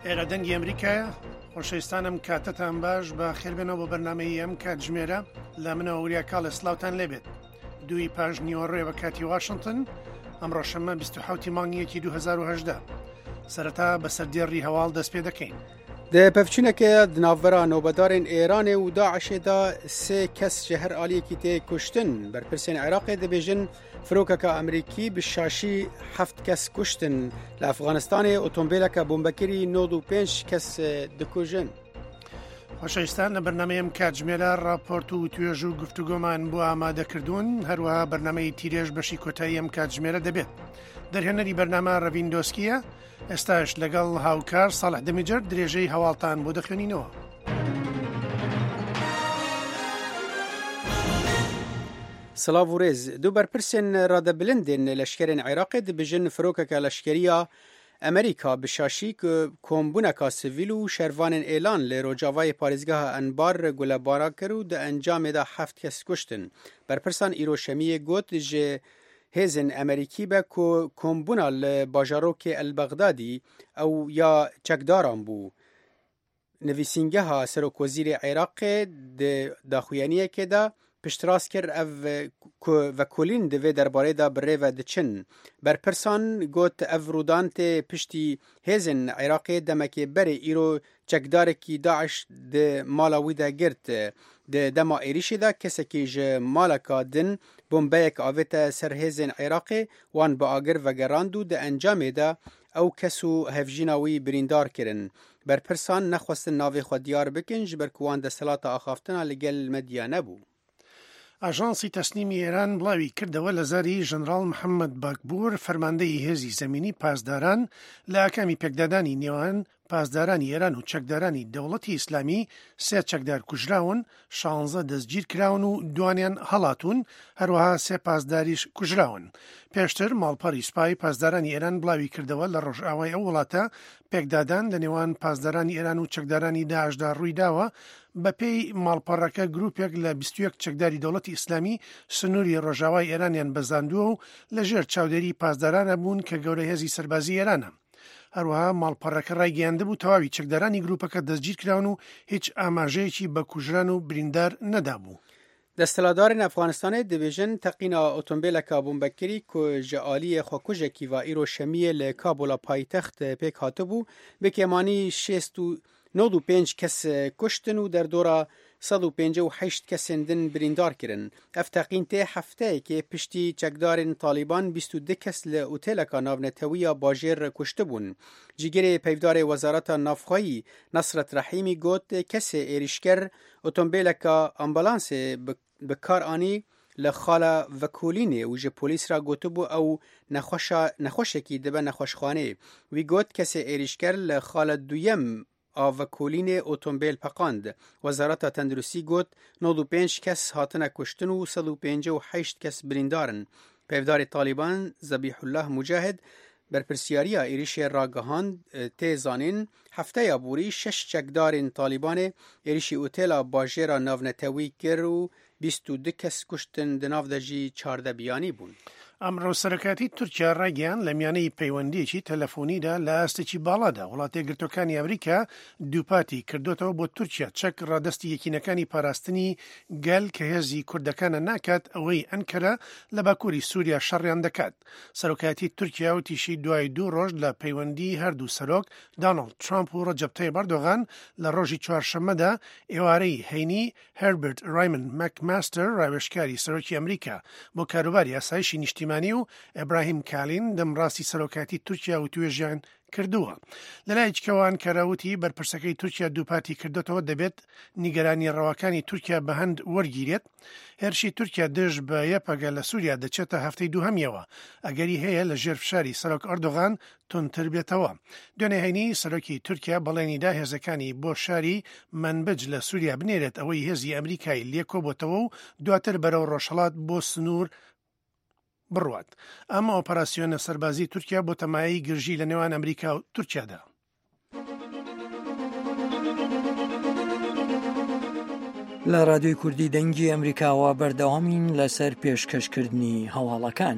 ئێرە دەنگی ئەمریکایە خۆشەویستانم کاتتان باش بە خێربێنەوە بۆ بەرنمەی ئەم کاتژمێرە لە منەوە وریا کاڵێ سلااوان لێبێت دووی پاش نیوەڕێ بە کاتی واشنگتن ئەمڕۆ شەممە 27 مانگی یەکی 2010 سەرەتا بەسەر دێڕی هەواڵ دەست پێ دەکەین. Di pevçûneke di navbera nobedarên Êranê û DAIŞ'ê de sê kes ji her aliyekî tê kuştin. Berpirsên Iraqê dibêjin firokeke Amerîkî bi şaşî heft kes kuştin. Li Efxanistanê otombêleke bombekirî 95 kes dikujin. خۆشەویستان لە بەرنامەی ئەم کاتژمێرە راپۆرت و توێژ و گفتوگۆمان بۆ ئامادەکردوون هەروەها بەرنامەی تیرێژ بەشی کۆتایی ئەم کاتژمێرە دەبێت دەرهێنەری بەرنامە ڕەڤین دۆسکیە ئێستاش لەگەڵ هاوکار ساڵح دەمیجەر درێژەی هەواڵتان بۆ دەخوێنینەوە. سڵاv û rêz du berpirsên radebilindên leşkerên Iraqê dibêjin firokeke leşkeriya Amerîka bi şaşî ku kombûneka sivîl û şervanên êlan li rojavayê parêzgeha Enbar gulebara kir û di encamê de heft kes kuştin. Berpirsan îro şemiyê got ji hêzên Amerîkî be ku kombûna li bajarokê El Bexdadî ew ya çekdaran bû. Nivîsîngeha Serokwezîrê Iraqê di daxuyaniyekê de piştrast kir ev ku vekolîn di vê derbarê de bi rê ve diçin. Berpirsan got ev rûdan tê piştî hêzên Iraqê demekê berê îro çekdarekî DAIŞ di mala wî de girt. Di dema êrişê de kesekî ji maleka din bombeyek avête ser hêzên Iraqê wan bi agir vegerand û di encamê de ew kes û hevjîna wî birîndar kirin. Berpirsan nexwestin navê xwe diyar bikin ji ber ku wan desthilata axaftina li gel medya nebû. ئاژانسی تەسنیمی ئێران بڵاوی کردەوە لە زاری ژەنراڵ محەممەد باکبوور فەرماندەی هێزی زەمینی پاسداران لە ئاکامی پێکدادانی نێوان پاسدارانی ئێران و چەکدارانی دەوڵەتی ئیسلامی سێ چەکدار کوژراون، شانزە دەستگیرکراون و دوانیان هەڵاتوون، هەروەها سێ پاسداریش کوژراون. پێشتر ماڵپەڕی سوپای پاسدارانی ئێران بڵاوی کردەوە لە ڕۆژئاوای ئەو وڵاتە پێکدادان لە نێوان پاسدارانی ئێران و چەکدارانی داعشدا ڕوویداوە، بەپێی ماڵپەڕەکە گروپێک لە 21 چەکداری دەوڵەتی ئیسلامی سنووری ڕۆژاوای ئێرانیان بەزاندووە و لەژێر چاودێری پاسدارانە بوون کە گەورە هێزی سەربازی ئێرانە. هەروەها ماڵپەڕەکە ڕایگەیاندبوو تەواوی چەکدارانی گروپەکە دەستگیرکراون و هیچ ئاماژەیەکی بە کوژران و بریندار نەدابوو. Desthilatdarên Efxanistanê dibêjin teqîna otombêleka bombekirî ku ji aliyê xwekujekî ve îro şemiyê li Kabula paytext pêk hatibû, bi kêmanî 95 kes kuştin û derdora 158 kesên din birîndar kirin. Ev teqîn tê hefteyekê piştî çekdarên Talîban 22 kes li oteleka navnetewî ya bajêr kuştibûn. Cîgirê peyvdarê Wezareta Navxweyî Nesret Rehîmî got kesê êrîşker otombêleka ambulansê bi kar anî li xala vekolînê û ji polîs re gotibû ew nexweşa nexweşekî dibe nexweşxanê. Wî got kesê êrîşker li xala duyem a vekolînê otombêl peqand. Wezareta Tenduristî got 95 kes hatine kuştin û 158 kes birîndar in. Peyvdarê Talîban Zebîhullah Mucahid berpirsyariya êrîşê ragihand tê zanîn hefteya borî şeş çekdarên Talîbanê êrîşî otela bajêra navnetewî kir û 22 kes kuştin di nav de jî 14 biyanî bûn. ئەمڕۆ سەرۆکایەتی تورکیا ڕایگەیاند لە میانەی پەیوەندییەکی تەلەفۆنیدا لە ئاستێکی باڵادا وڵاتە یەکگرتووەکانی ئەمریکا دووپاتی کردۆتەوە بۆ تورکیا چەک ڕادەستی یەکینەکانی پاراستنی گەل کە هێزی کوردەکانە ناکات ئەوەی ئەنکەرە لە باکووری سووریا شەڕیان دەکات. سەرۆکایەتی تورکیا وتیشی دوای دوو ڕۆژ لە پەیوەندی هەردوو سەرۆک دانۆڵد ترامپ و ڕەجەب تەیب ئەردۆغان لە ڕۆژی چوارشەممەدا ئێوارەی هەینی هێربرت ڕایمن مەکماستەر ڕاوێژکاری سەرۆکی ئەمریکا بۆ کاروباری ئاسایشی نیشتیمانی و ئیبراهیم کالین دەمڕاستی سەرۆکایەتی تورکیا وتوێژیان کردووە. لەلایەکی کەوە ئەنکەرە وتی بەرپرسەکەی تورکیا دووپاتی کردۆتەوە دەبێت نیگەرانی ڕەواکانی تورکیا بە هەند وەرگیرێت. هێرشی تورکیا دژ بە یەپەگە لە سووریا دەچێتە هەفتەی دووهەمیەوە، ئەگەری هەیە لە ژێر فشاری سەرۆک ئەردۆغان توندتر بێتەوە. دوێنێ هەینی سەرۆکی تورکیا بەڵێنی دا هێزەکانی بۆ شاری مەنبج لە سووریا بنێرێت ئەوەی هێزی ئەمریکای لێ کۆبۆتەوە و دواتر بەرەو ڕۆژهەڵات بۆ سنوور بڕوات. ئەم ئۆپەراسیۆنە سەربازی تورکیا بۆتە مایەی گرژی لە نێوان ئەمریکا و تورکیادا. لە رادیۆی کوردی دەنگی ئەمریکاوە بەردەوامین لەسەر پێشکەشکردنی هەواڵەکان.